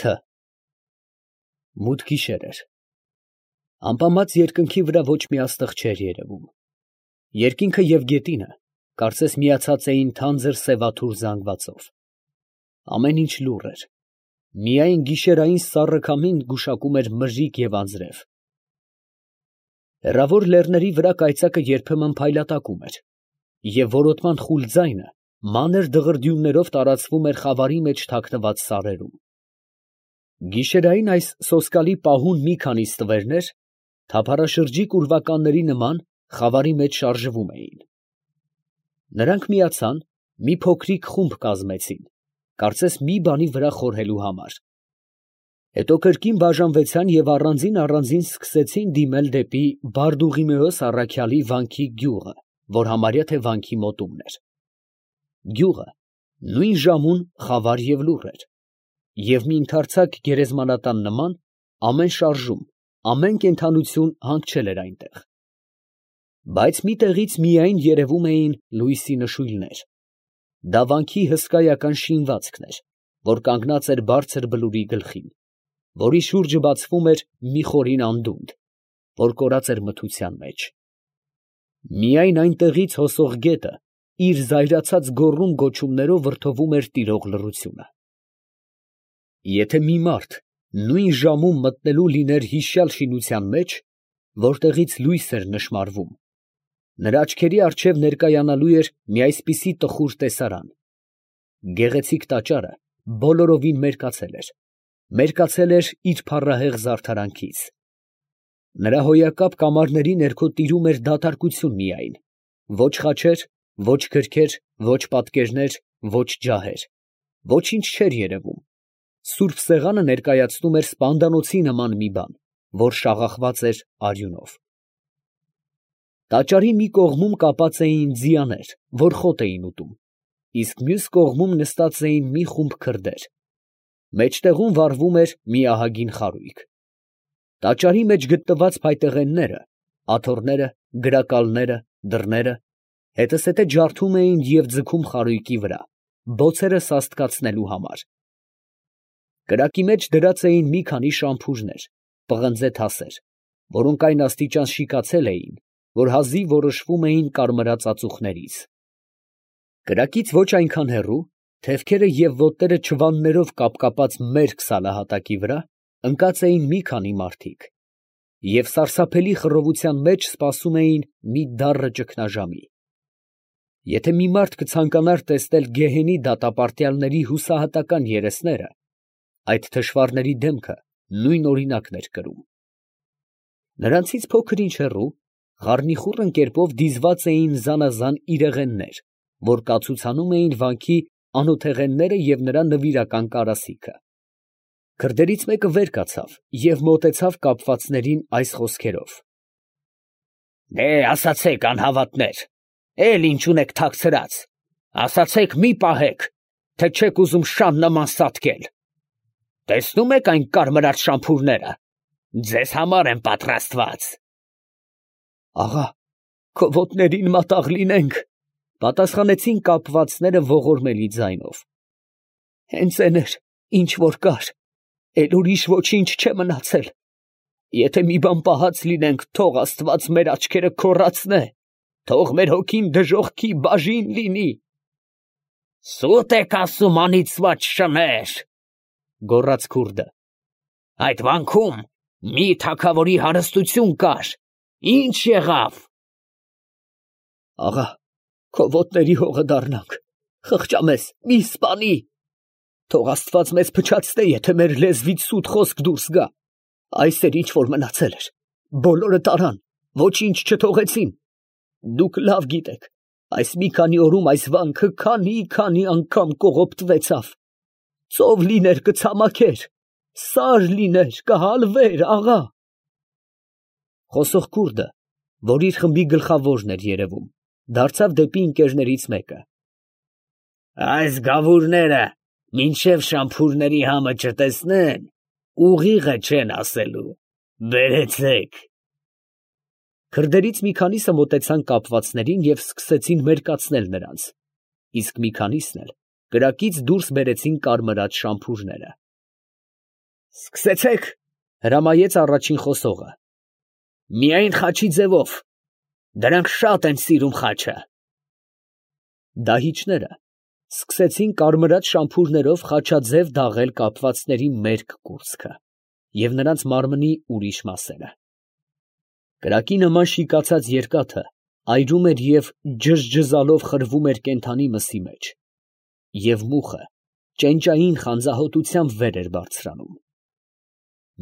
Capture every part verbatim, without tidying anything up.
Թ Մութ գիշեր էր։ Ամպամած երկնքի վրա ոչ մի աստղ չէր երևում։ Երկինքը և գետինը կարծես միացած էին թանձր սևաթուր զանգվածով։ Ամեն ինչ լուռ էր, միայն գիշերային սառը քամին գուշակում էր մրրիկ և անձրև։ Հեռավոր լեռների վրա կայծակը երբեմն փայլատակում էր, և որոտման խուլ ձայնը մանր դղրդյուններով տարածվում էր խավարի մեջ թաքնված սարերում։ Գիշերային այս սոսկալի պահուն մի քանի ստվերներ, թափառաշրջիկ ուրվականների նման, խավարի մեջ շարժվում էին։ Նրանք միացան, մի փոքրիկ խումբ կազմեցին, կարծես մի բանի վրա խորհելու համար։ Հետո կրկին բաժանվեցան և առանձին֊առանձին սկսեցին դիմել դեպի Բարդուղիմեոս առաքյալի վանքի գյուղը, որ համարյա թե վանքի մոտումն էր։ Գյուղը նույն ժամուն խավար և լուռ էր, և մի ընդարձակ գերեզմանատան նման, ամեն շարժում, ամեն կենդանություն հանգչել էր այնտեղ։ Բայց մի տեղից միայն երևում էին լույսի նշույլներ. դա վանքի հսկայական շինվածքն էր, որ կանգնած էր բարձր բլուրի գլխին, որի շուրջը բացվում էր մի խորին անդունդ, որ կորած էր մթության մեջ։ Միայն այնտեղից հոսող գետը իր զայրացած գոռում֊գոչումներով վրդովում էր տիրող լռությունը։ Եթե մի մարդ նույն ժամում մտնելու լիներ հիշյալ շինության մեջ, որտեղից լույս էր նշմարվում, նրա աչքերի առջև ներկայանալու էր մի այսպիսի տխուր տեսարան. գեղեցիկ տաճարը բոլորովին մերկացել էր, մերկացել էր իր փառահեղ զարդարանքից։ Նրա հոյակապ կամարների ներքո տիրում էր դատարակություն միայն, ոչ խաչեր, ոչ գրքեր, ոչ պատկերներ, ոչ ջահեր, ոչինչ չէր երևում, սուրբ սեղանը ներկայացնում էր սպանդանոցի նման մի բան, որ շաղախված էր արյունով։ Տաճարի մի կողմում կապած էին ձիաներ, որ խոտ էին ուտում, իսկ մյուս կողմում նստած էին մի խումբ քրդեր, մեջտեղում վառվում էր մի ահագին խարույկ։ Տաճարի մեջ գտնված փայտեղենները, աթոռները, գրակալները, դռները հետզհետե ջարդում էին և ձգում խարույկի վրա, բոցերը սաստկացնելու համար։ Կրակի մեջ դրած էին մի քանի շամփուրներ, պղնձե թասեր, որոնք այն աստիճան շիկացել էին, որ հազիվ որոշվում էին կարմրած ածուխներից։ Կրակից ոչ այնքան հեռու, թևքերը և ոտները չվաններով կապկապած մերկ սալահատակի վրա, ընկած էին մի քանի մարդիկ, և սարսափելի խռովության մեջ սպասում էին մի դառը ճգնաժամի։ Եթե մի մարդ կցանկանար տեսնել գեհենի դատապարտյալների հուսահատական երեսները, այդ թշվառների դեմքը նույն օրինակն էր կրում։ Նրանցից փոքր ինչ հեռու, խառնիխուռն կերպով դիզված էին զանազան իրեղեններ, որ կացուցանում էին վանքի անոթեղենները և նրա նվիրական կարասիքը։ Քրդերից մեկը վեր կացավ և մոտեցավ կապվածներին այս խոսքերով. ասացեք, անհավատներ, էլ ինչ ունեք թաքցրած, ասացեք, մի պահեք, թե չեք ուզում շան նման սատկել. տեսնո՞ւմ եք այն կարմրած շամփուրները, ձեզ համար են պատրաստված։ Աղա, քո ոտներին մատաղ լինենք, պատասխանեցին կապվածները ողորմելի ձայնով։ Հենց էն էր, ինչ որ կար, էլ ուրիշ ոչինչ չէ մնացել. եթե մի բան պահած լինենք, թող աստված մեր աչքերը քոռացնե, թող մեր հոգին դժոխքի բաժին լինի։ Սուտ եք ասում, անիծված շներ, գոռաց քուրդը, այդ վանքում մի թագավորի հարստություն կար, ի՞նչ եղավ։ Աղա, քո ոտների հողը դառնանք, խղճամեզ, մի սպանի, թող աստված մեզ փչացնե, եթե մեր լեզվից սուտ խոսք դուրս գա, այս էր ինչ որ մնացել էր, բոլորը տարան, ոչինչ չթողեցին, դուք լավ գիտեք, այս մի քանի օրում այս վանքը քանի՜֊քանի անգամ կողոպտվեցավ, ծով լիներ կցամաքեր, սար լիներ կհալվեր, աղա։ Խոսող քուրդը, որ իր խմբի գլխավորն էր երևում, դարձավ դեպի ընկերներից մեկը. այս գավուրները մինչև շամփուրների համը չտեսնեն, ուղիղը չեն ասելու, բերեցեք։ Քրդերից մի քանիսը մոտեցան կապվածներին և սկսեցին մերկացնել նրանց, իսկ մի քանիսն էլ կրակից դուրս բերեցին կարմրած շամփուրները։ Սկսեցեք, հրամայեց առաջին խոսողը։ Միայն խաչի ձևով, դրանք շատ են սիրում խաչը։ Դահիճները սկսեցին կարմրած շամփուրներով խաչաձև դաղել կապվածների մերկ կուրծքը և նրանց մարմնի ուրիշ մասերը։ Կրակի նման շիկացած երկաթը այրում էր և ջզջզալով խրվում էր կենդանի մսի մեջ, և մուխը ճենճային խանձահոտությամբ վեր էր բարձրանում։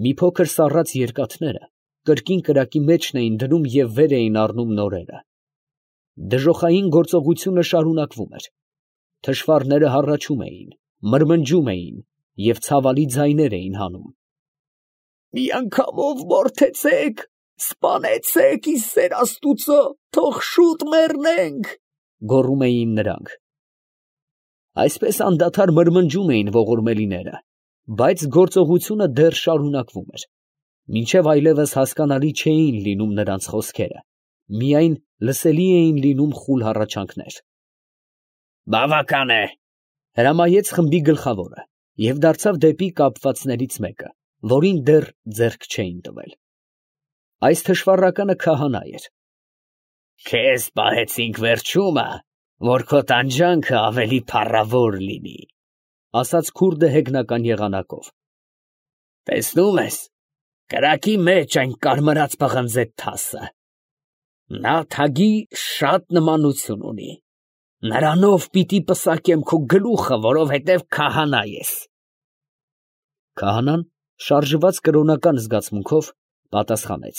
Մի փոքր սառած երկաթները կրկին կրակի մեջն էին դնում և վեր էին առնում նորերը։ Դժոխային գործողությունը շարունակվում էր։ Թշվառները հառաչում էին, մրմնջում էին և ցավալի ձայներ էին հանում։ «Մի անգամով մորթեցեք, սպանեցեք, ի սեր Աստուծո, թող շուտ մեռնենք», գոռում էին նրանք։ Այսպես անդադար մրմնջում էին ողորմելիները, բայց գործողությունը դեռ շարունակվում էր, մինչև այլևս հասկանալի չէին լինում նրանց խոսքերը, միայն լսելի էին լինում խուլ հառաչանքներ։ «Բավական է», հրամայեց խմբի գլխավորը և դարձավ դեպի կապվածներից մեկը, որին դեռ ձեռք չէին տվել։ Այս թշվառականը քահանա էր։ «Քեզ պահեցինք վերջումը, որ քո տանջանքը ավելի փառավոր լինի», ֊ ասաց քուրդը հեգնական եղանակով։ «Տեսնում ես կրակի մեջ այն կարմրած պղնձե թասը. նա թագի շատ նմանություն ունի. նրանով պիտի պսակեմ քո գլուխը, որովհետև քահանա ես»։ Քահանան շարժված կրոնական զգացմունքով պատասխանեց.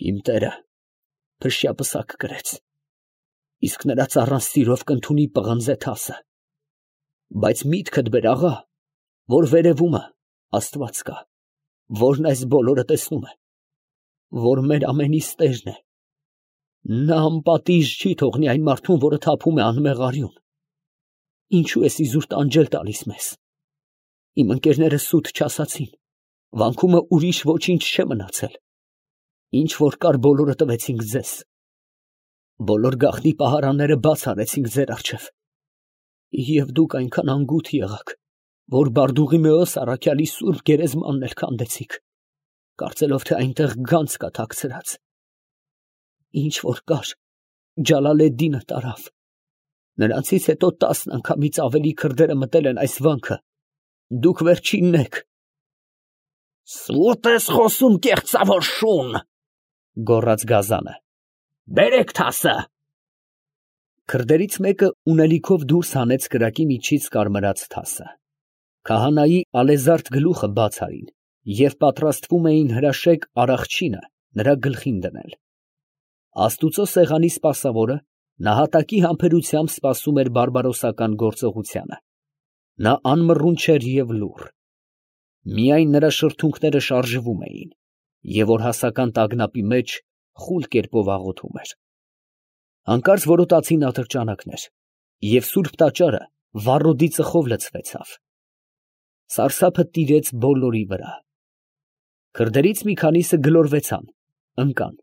«Իմ տերը փշյապսակ կրեց, իսկ նրա ծառան սիրով կընդունի պղնձե թասը, բայց միտքդ բեր, աղա, որ վերևումը Աստված կա, որն այս բոլորը տեսնում է, որ մեր ամենիս տերն է. նա անպատիժ չի թողնի այն մարդուն, որը թափում է անմեղ արյուն. ինչո՞ւ ես իզուր տանջել տալիս մեզ. իմ ընկերները սուտ չասացին, վանքումը ուրիշ ոչինչ չէ մնացել, ինչ որ կար բոլորը տվեցինք ձեզ, բոլոր գաղտնի պահարանները բաց արեցինք ձեր առջև, և դուք այնքան անգութ եղաք, որ Բարդուղիմեոս առաքյալի սուրբ գերեզմանն էլ քանդեցիք, կարծելով, թե այնտեղ գանձ կա թաքցրած. ինչ որ կար, Ջալալեդդինը տարավ, նրանցից հետո տասն անգամից ավելի քրդերը մտել են այս վանքը, դուք վերջինն եք»։ «Սուտ ես խոսում, կեղծավոր շուն, ֊ գոռաց գազանը, ֊ բերեք թասը»։ Քրդերից մեկը ունելիքով դուրս հանեց կրակի միջից կարմրած թասը։ Քահանայի ալեզարդ գլուխը բաց արին և պատրաստվում էին հրաշեկ արախչինը նրա գլխին դնել։ Աստուծո սեղանի սպասավորը նահատակի համբերությամբ սպասում էր բարբարոսական գործողությանը։ Նա անմռունչ էր և լուռ։ Միայն նրա շրթունքները շարժվում էին, և օրհասական տագնապի մեջ խուլ կերպով աղոթում էր։ Հանկարծ որոտացին ատրճանակներ, և սուրբ տաճարը վառոդի ծխով լցվեցավ։ Սարսափը տիրեց բոլորի վրա։ Քրդերից մի քանիսը գլորվեցան, ընկան,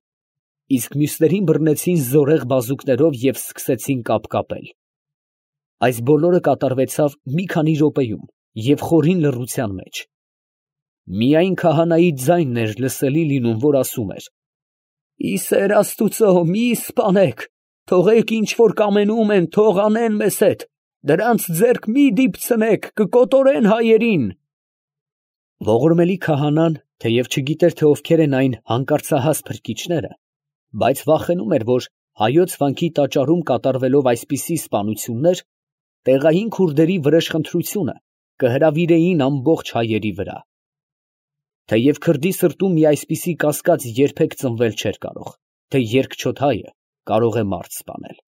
իսկ մյուսներին բռնեցին զորեղ բազուկներով և սկսեցին կապկապել։ Այս բոլորը կատարվեցավ մի քանի րոպեում և խորին լռության մեջ։ Միայն քահանայի ձայնն էր լսելի լինում, որ ասում էր. «Ի սեր Աստուծո, մի սպանեք, թողեք ինչ որ կամենում են, թող անեն մեզ հետ, դրանց ձեռք մի դիպցնեք, կկոտորեն հայերին»։ Ողորմելի քահանան, թեև չգիտեր, թե ովքեր են այն հանկարծահաս փրկիչները, բայց վախենում էր, որ հայոց վանքի տաճարում կատարվելով այսպիսի սպանություններ, տեղային քուրդերի վրեժխնդրությունը կհրավիրեին ամբողջ հայերի վրա։ Թեև քրդի սրտում մի այսպիսի կասկած երբեք ծնվել չէր կարող, թե երկչոտ հայը կարող է մարդ սպանել։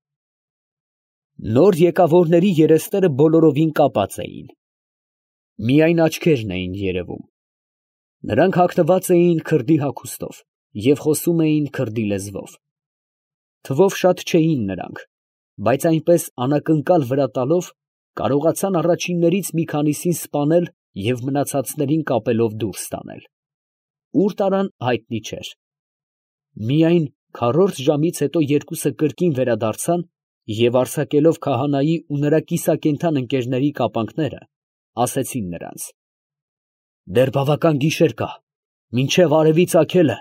Նոր եկավորների երեսները բոլորովին կապած էին, միայն աչքերն էին երևում։ Նրանք հագնված էին քրդի հագուստով և խոսում էին քրդի լեզվով։ Թվով շատ չէին նրանք, բայց այնպես անակնկալ վրա տալով կարողացան առաջիններից մի քանիսին սպանել և մնացածներին կապելով դուրս տանել։ Ուր տարան հայտնի չէր։ Միայն քառորդ ժամից հետո երկուսը կրկին վերադարձան և արձակելով քահանայի ու նրա կիսակենդան ընկերների կապանքները, ասեցին նրանց. Դեռ բավական գիշեր կա, մինչև արևի ծագելը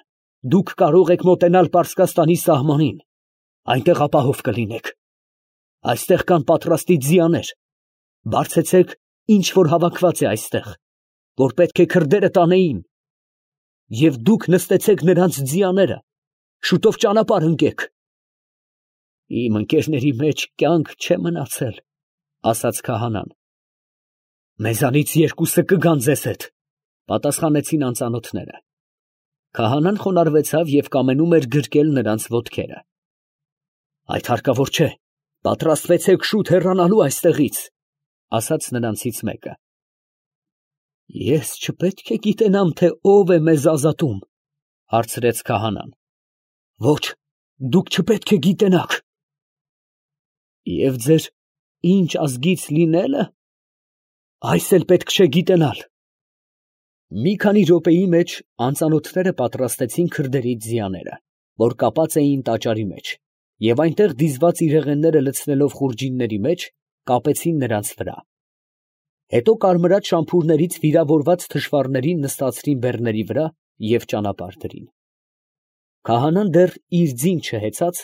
դուք կարող եք մոտենալ Պարսկաստանի սահմանին, այնտեղ ապահով կլինեք. այստեղ կան պատրաստի ձիաներ, բարձեցեք ինչ որ հավաքված է այստեղ, որ պետք է քրդերը տանեին, և դուք նստեցեք նրանց ձիաները, շուտով ճանապարհ ընկեք։ Իմ ընկերների մեջ կյանք չէ մնացել, ասաց քահանան։ Մեզանից երկուսը կգան ձեզ հետ, պատասխանեցին անծանոթները։ Քահանան խոնարհվեցավ և կամենում էր գրկել նրանց ոտքերը։ Այդ հարկավոր չէ, պատրաստվեցեք շուտ հեռանալու այստեղից, ասաց նրանցից մեկը։ Ես չպետք է գիտենամ, թե ով է մեզ ազատում, հարցրեց քահանան։ Ոչ, դուք չպետք է գիտենաք։ Եվ ձեր ինչ ազգից լինելը, այս էլ պետք չէ գիտենալ։ Մի քանի րոպեի մեջ անծանոթները պատրաստեցին քրդերի ձիաները, որ կապած էին տաճարի մեջ, և այնտեղ դիզված իրեղենները լցնելով խուրջինների մեջ, կապեցին նրանց վրա։ Հետո կարմրած շամփուրներից վիրավորված թշվառներին նստացրին բեռների վրա և ճանապարհ դրին։ Քահանան դեռ իր ձին չհեծած,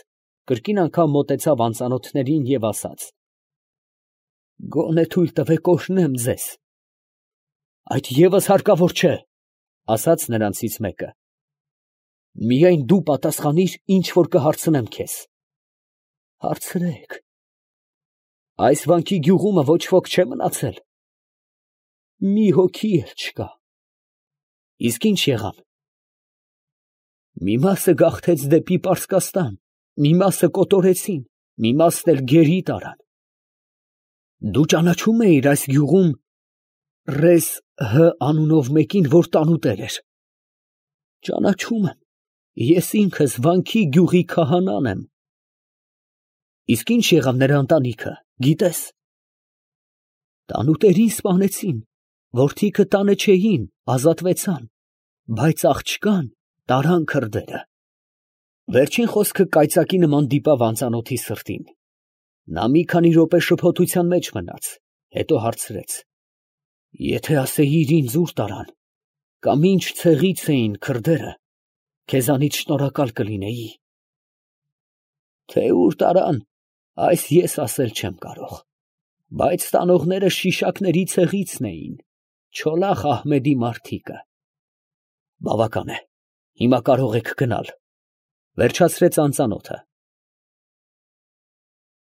կրկին անգամ մոտեցավ անծանոթներին և ասաց. Գոնե թույլ տվեք օրհնեմ ձեզ։ Այդ ևս հարկավոր չէ, ասաց նրանցից մեկը։ Միայն դու պատասխանիր, ինչ որ կհարցնեմ քեզ։ Հարցրեք։ Այս վանքի գյուղումը ոչ ոք չէ մնացել։ Մի հոգի էլ չկա։ Իսկ ինչ եղան։ Մի մասը գաղթեց դեպի Պարսկաստան, մի մասը կոտորեցին, մի մասն էլ գերի տարան։ Դու ճանաչում էիր այս գյուղում Ռես Հ անունով մեկին, որ տանուտեր էր։ Ճանաչում եմ, ես ինքս վանքի գյուղի քահանան եմ։ Իսկ ինչ եղավ նրա ընտանիքը, գիտես։ Տանուտերին սպանեցին, որդիքը տանը չէին, ազատվեցան, բայց աղջկան տարան քրդերը։ Վերջին խոսքը կայծակի նման դիպավ անծանոթի սրտին։ Նա մի քանի րոպե շփոթության մեջ մնաց, հետո հարցրեց. Եթե ասեիր ինձ ուր տարան, կամ ինչ ցեղից էին քրդերը, քեզանից շնորհակալ կլինեի։ Թե ուր տարան, այս ես ասել չեմ կարող, բայց տանողները Շիշակների ցեղիցն էին, Չոլախ Ահմեդի մարդիկը։ Բավական է, հիմա կարող եք գնալ, վերջացրեց անծանոթը։